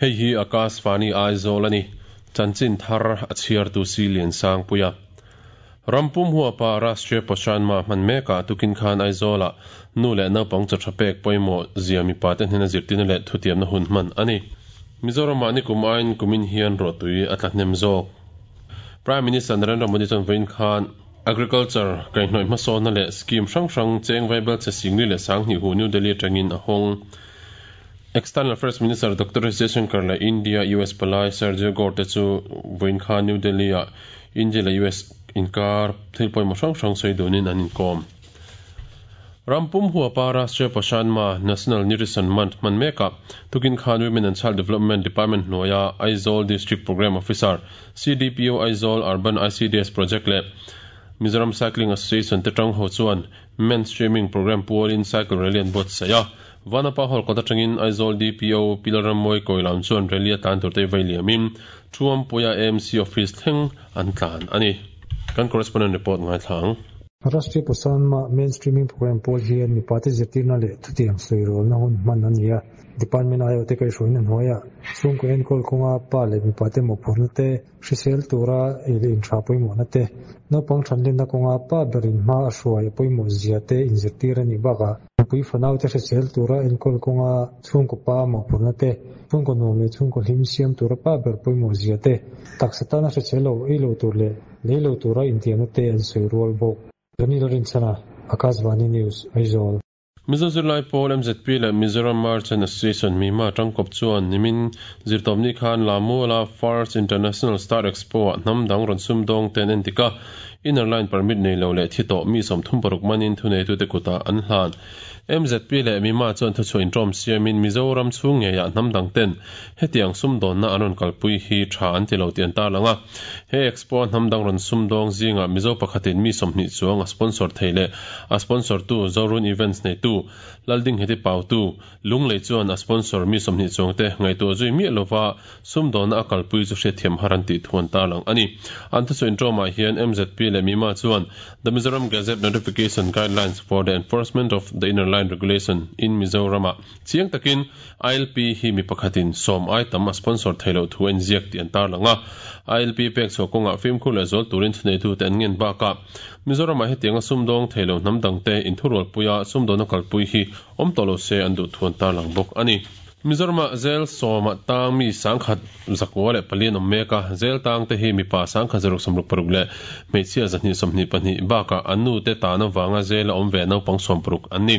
Hei hi Akashvani Aizawl a ni. Chanchin thar a chhiartu si Liansangpuia. Rampum huapa Rashtriya Poshan Maah hman mekah tukin khan Aizawlah nu leh naupang chaw tha pek pawimawh zia mipa te hnena zirtirna leh thutiamna hun hman a ni. Mizoramah nikum aiin kumin hian ruahtui a tla hnem zawk. Prime Minister Narendra Modi chuan vawiin khan Agriculture kaihhnawih hmasawnna leh scheme hrang hrang cheng vaibel che Singli leh Sanghnih hu New Delhi atangin a hawng. External Affairs Minister Doctor S Jaishankar leh India US palai Sergio Gore te chu vawiin khan New Delhi ah India leh US inkar thil pawimawh hrang hrang sawi dunin an inkawm. Rampum huapa Rashtriya Poshan Maah, National Nutrition Month, hman mekah tukin khan Women and Child Development Department hnuaia Aizawl District Programme Officer, CDPO Aizawl Urban ICDS Project leh Mizoram Cycling Association te tang ho chuan Mainstreaming Programme pualin Cycle Rally an buatsaih a. Vanapa Hall kawt atangin Aizawl DPO Pi Lalrammawi Kawilam chuan rally a tlan turte vei liamin Thuampuia AMC Office thleng an tlan a ni. Kan correspondent report ngaithla ang. Rashtriya Poshan Maah Mainstreaming Programme pawl hian mipate zirtirna leh thutiang sawirawlna hun hman a ni a. Department aiawhte kaihhruaina hnuaiah chhungkaw enkawl kawnga pa leh mipate mawhphurhna te, hrisel tura ei leh inṭha pawimawhna te, naupang ṭhanlenna kawnga pa berin hma a hruai a pawimawh zia te inzirtir a nih bakah nupui fanaute hrisel tura enkawl kawnga chhungkaw pa mawhphurhna te, chhungkaw nuam leh chhungkaw hlim siam tura pa ber pawimawh zia te, taksa tana hrisel lo ei lo tur leh lei lo tura intiamna te an sawi rual bawk. Ranil Rinchhana, Akashvani News, Aizawl. Mizo zirlai pawl mzp leh Mizoram Merchant Association Mima tangkawp chuan nimin zirtawpni khan Lamuala First International Star Expo ah hnam dang rawn sumdawng te an endik a, Inner Line Permit nei lo leh thi tawh mi 36 manin thuneitute kutah an hlan. Mzp leh Mima chuan thuchhuah intawm siamin Mizoram chhung ngeiah hnam dang ten hetiang sumdawnna an rawn kalpui hi tha an ti lo tih an tarlang a. He Expo a hnam dang rawn sumdawng zingah Mizo pakhatin mi 20 chuang a sponsor thei leh a sponsor tu Zorun Events neitu Laldingheti Pautu Lunglei chuan a sponsor mi 20 chuang te ngaihtuah zui miah lova sumdawnna a kalpui chu hriatthiam har an tih thu an tarlang a ni. An thusawi intawmah hian MZP leh MIMA chuan The Mizoram Gazette Notification Guidelines for the Enforcement of the Inner Line Regulation in Mizoram ah chiang takin ILP hi mi pakhatin sawm ai tam a sponsor thei loh thu a inziak tih an tarlang a. ILP pek chhuah kawngah fimkhur leh zual turin thuneitute an ngen bakah Mizoramah hetianga sumdawng thei lo hnam dangte inthurualpuia sumdawna kalpui hi awm tawh lo se an duh thu an tarlang bawk a ni. Mizoramah zel sawma tang mi 1044 an awm mek a, zel tangte hi mipa 1666 leh hmeichhia 222 bakah an nute tan avanga zela awm ve naupang 60 an ni.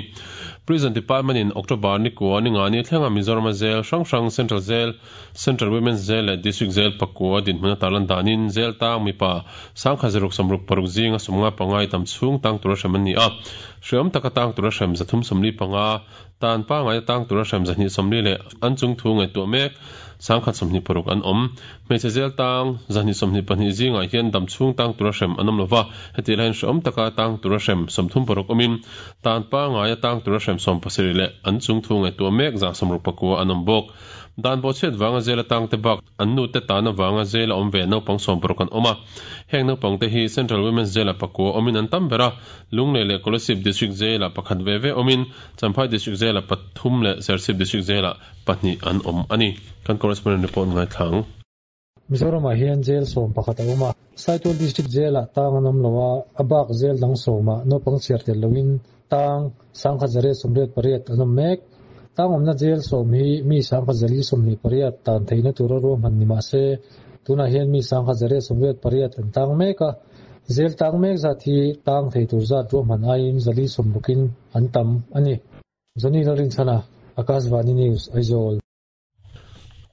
Prison Department in October ni kua ni nga ni thlenga Mizorama zel hrang hrang Central Jail, Central Women's Jail leh District Jail pakua dinhmun a tarlan danin jail tang mipa 1666 zinga 55 i tam chhung tang tura hrem an ni a. Hreawm taka tang tura hrem 335, tan pangaia tang tura hrem 240 leh an chung thu ngaihtuah mek 126 an awm. Hmeichhe zel tang 222 zingah hian dam chhung tang tura hrem an awm lova, heti lahin hreawm taka tang tura hrem 36 awmin tan pangaia tang tura hrem 70 leh an chung thu ngaihtuah mek 69 an awm bawk. Dan bawhchhiat vanga zela tangte bak an nute tan avanga zela awm ve naupang 60 an awm a. Heng naupangte hi Central Women's Jail-ah pakua awmin an tam ber a, Lunglei leh Kolasib District Jail-ah pakhat ve ve awmin Champhai District Jail-ah pathum leh Serchhip District Jail-ah pahnih an awm a ni. Kan correspondent report ngaithla ang. Mizoramah hian jail 11 a awm a, Saitual District Jail-ah tang an awm lo a, a bak jail dang sawmah naupang chhiar tel loin tang 1188 an awm mek. Tang awmna jail sawm hi mi 1128 tan theihna tura ruahman ni mah se, tunah hian mi 1188 an tang mek a, jail tang mek zat hi tang thei tur zat ruahman aiin 160in an tam a ni. Johnny Lalrinchhana, Akashvani News, Aizawl.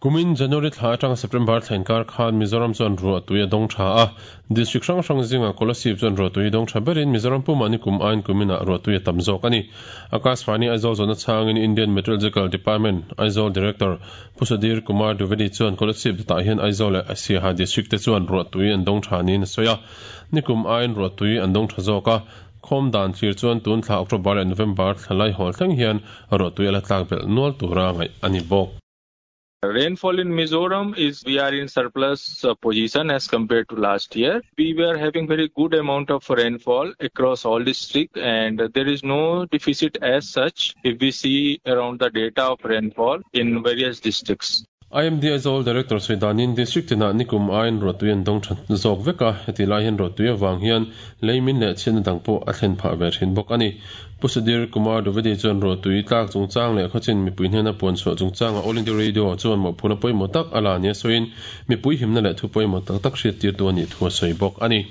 Kumin January thla atanga September thla inkar khan Mizoram chuan ruahtui a dawng tha a. District hrang hrang zingah Kolasib chuan ruahtui dawng tha berin Mizoram pumah ni kum aiin kuminah ruahtui a tam zawk a ni. Akashvani Aizawl zawhna chhangin Indian Meteorological Department Aizawl Director Pu Sudhir Kumar Dwivedi chuan Kolasib tah hian Aizawl leh Siaha District te chuan ruahtui an dawng tha niin a sawi a. Ni kum aiin ruahtui an dawng tha zawk a. Khawm dan thlir chuan tun thla October leh November thla lai hawl thleng hian ruahtui a la tlak belh nual tura ngaih a ni bawk. Rainfall in Mizoram is we are in surplus position as compared to last year. We were having very good amount of rainfall across all district and there is no deficit as such if we see around the data of rainfall in various districts. IMD Aizawl Director sawi danin District tinah nikum aiin ruahtui an dawng tha zawk vek a, heti lai hian ruahtui avang hian leimin leh chhiatna dang pawh a thlen phah ve thin bawk a ni. Pu Sudhir Kumar Dwivedi chuan ruahtui tlak chungchang leh khawchin mipui hnena puan chhuah chungchangah All India Radio chuan mawhphurhna pawimawh tak a la nia sawiin mipui himna leh thu pawimawh tak tak hriattirtu a nih thu a sawi bawk a ni.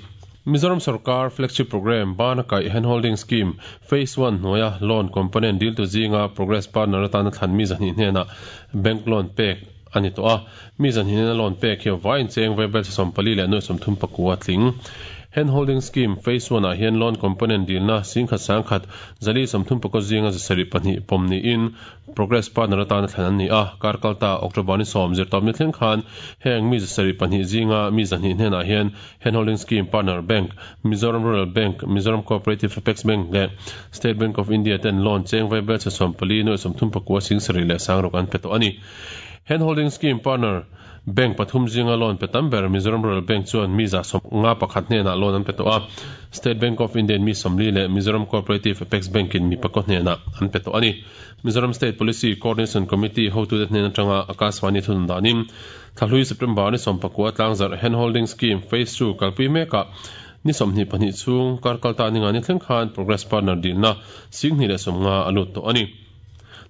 Mizoram sorkar flagship programme Bana Kaih Handholding Scheme Phase One hnuaia loan component diltu zinga progress partner atana thlan mi zahnih hnenah bank loan pek a ni tawh a. Mi zahnih hnena loan pek hi vaiin cheng vaibel 44 leh nuai 39 a tling. Handholding Scheme Phase One ah hian loan component dilna singkhat sangkhat 434 zinga 72 pawm niin Progress partner atana thlan an ni a, kar kalta October ni 10 zirtawpni thleng khan heng mi 72 zinga mi zahnih hnenah hian Handholding Scheme partner bank Mizoram Rural Bank, Mizoram Cooperative Apex Bank leh State Bank of India ten loan cheng vaibel chhe 14 nuai 39 sing sarih leh sangruk an pe tawh a ni. Handholding Scheme partner bank pathum zinga loan pe tam ber Mizoram Rural Bank chuan mi 151 hnenah loan an pe tawh a, State Bank of India in mi 40 leh Mizoram Cooperative Apex Bank in mi pakua hnenah an pe tawh a ni. Mizoram State Policy Coordination Committee hotute hnen atanga Akashvani thunun danin Thlahlui September ni 19 tlangzarh Handholding Scheme Phase 2 kalpui mekah ni 22 chhung kar kalta ni nga ni thleng khan Progress Partner dilna 1050 a lut tawh a ni.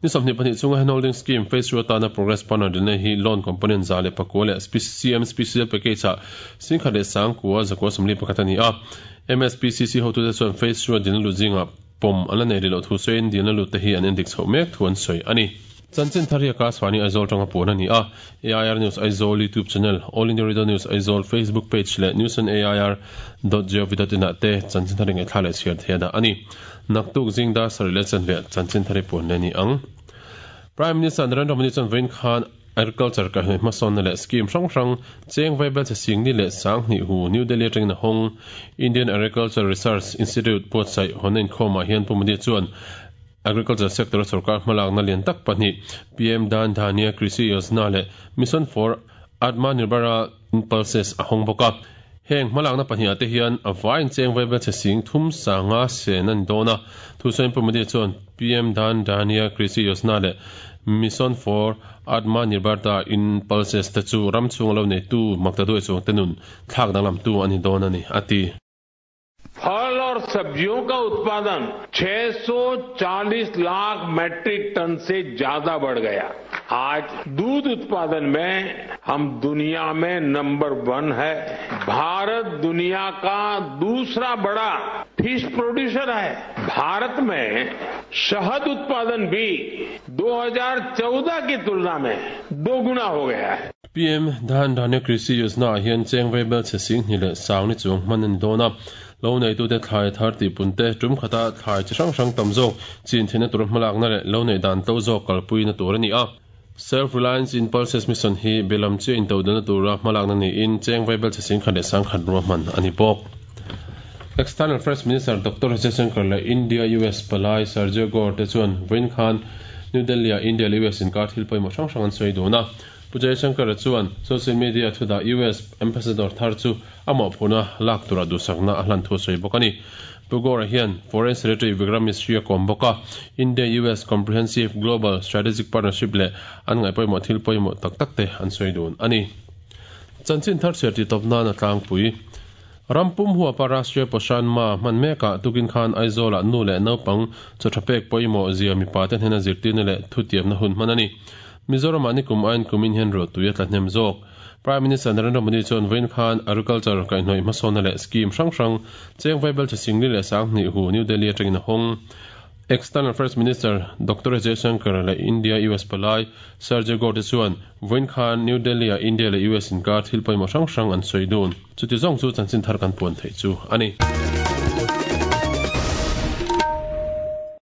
Ni 22 chhunga Handholding Scheme Phase 2 atana Progress Partner dilna hi loan component 109 leh CM Special Package ah 10,941 a ni a. MSPCC hotute chuan Phase 2 a dilna lut zingah pawm an la nei rih loh thu sawiin dilna lut te hi an endik chhoh mek thu an sawi a ni. Chanchin thar hi Akashvani Aizawl tanga puan a ni a, AIR News Aizawl YouTube channel, All India Radio News Aizawl Facebook page leh news on air dot gov dot in ah te chanchin thar i ngaihthla leh chhiar thei a dah a ni. Naktuk zing dar sarih leh chanve ah chanchin thar i puan leh a ni ang. Prime Minister Narendra Modi chuan vawiin khan Agriculture kaihhnawih hmasawnna leh scheme hrang hrang cheng vaibel chhe singni leh sanghnih hu New Delhi atangin a hawng. Indian Agriculture Research Institute buatsaih hawnna inkhawmah hian Pu Modi chuan Agriculture sector a sorkar hmalakna lian tak pahnih PM Dhan Dhanya Krishi Yojana leh Mission for Atmanirbhara in Pulses a hawng bawk a. Heng hmalakna pahnih ah te hian a vaiin cheng vaibel chhe sing thum sanga sen a ni dawn a. Thusawiin Pu Modi chuan PM Dhan Dhanya Krishi Yojana leh Mission for Atmanirbharta in Pulses te chu ram chhunga lo neitu makta duai chuang te nun thlak danglamtu a ni dawn a ni, a ti. फल और सब्जियों का उत्पादन 640 lakh metric ton से ज्यादा बढ़ गया। आज दूध उत्पादन में हम दुनिया में नंबर 1 है। भारत दुनिया का दूसरा बड़ा फिश प्रोड्यूसर है। भारत में शहद उत्पादन भी 2014 की तुलना में दोगुना हो गया है। PM Dhan Dhanya Krishi Yojana ah hian cheng vaibel chhe sing hnih leh sang ni chuang hman a ni dawn a. Lo neitute thlai thar tih pun te, tum khata thlai chi hrang hrang tam zawk chin theihna tur hmalakna leh lo neih dan to zawk kalpuina tur a ni a. Self Reliance in Pulses Mission hi belam chiah intodelna tura hmalakna niin cheng vaibel chhe sing khat leh sang khat ruahman a ni bawk. External Affairs Minister Doctor Jaishankar leh India-US palai Sergio Gore te chuan vawiin khan New Delhi-ah India leh US inkar thil pawimawh hrang hrang an sawi dun a. Pu Jaishankar-a chuan social media thudah US ambassador thar chu a mawhphurhna lak tura duhsakna a hlan thu a sawi bawk a ni. Pu Gore-a hian Foreign Secretary Vikram Misri a kawm bawk a, India-US Comprehensive Global Strategic Partnership leh an ngaih pawimawh thil pawimawh tak tak te an sawi dun a ni. Chanchin thar chhiar tih tawp nan a tlangpui. Ram pum huapa Rashtriya Poshan Maah hman mekah tukin khan Aizawlah nu leh naupang chaw tha pek pawimawh zia mipa te hnena zirtirna leh thutiamna hun hman a ni. Mizoramah nikum aiin kumin hian ruahtui a tla hnem zawk. Prime Minister Narendra Modi chuan vawiin khan Agriculture kaihhnawih hmasawnna leh scheme hrang hrang cheng vaibel chhe singli leh sanghnih hu New Delhi atangin a hawng. External Affairs Minister Doctor Jaishankar leh India-US palai Sergio Gore te chuan vawiin khan New Delhi-ah India leh US inkar thil pawimawh hrang hrang an sawi dun. Chuti zawng chu chanchin thar kan puan theih chu a ni.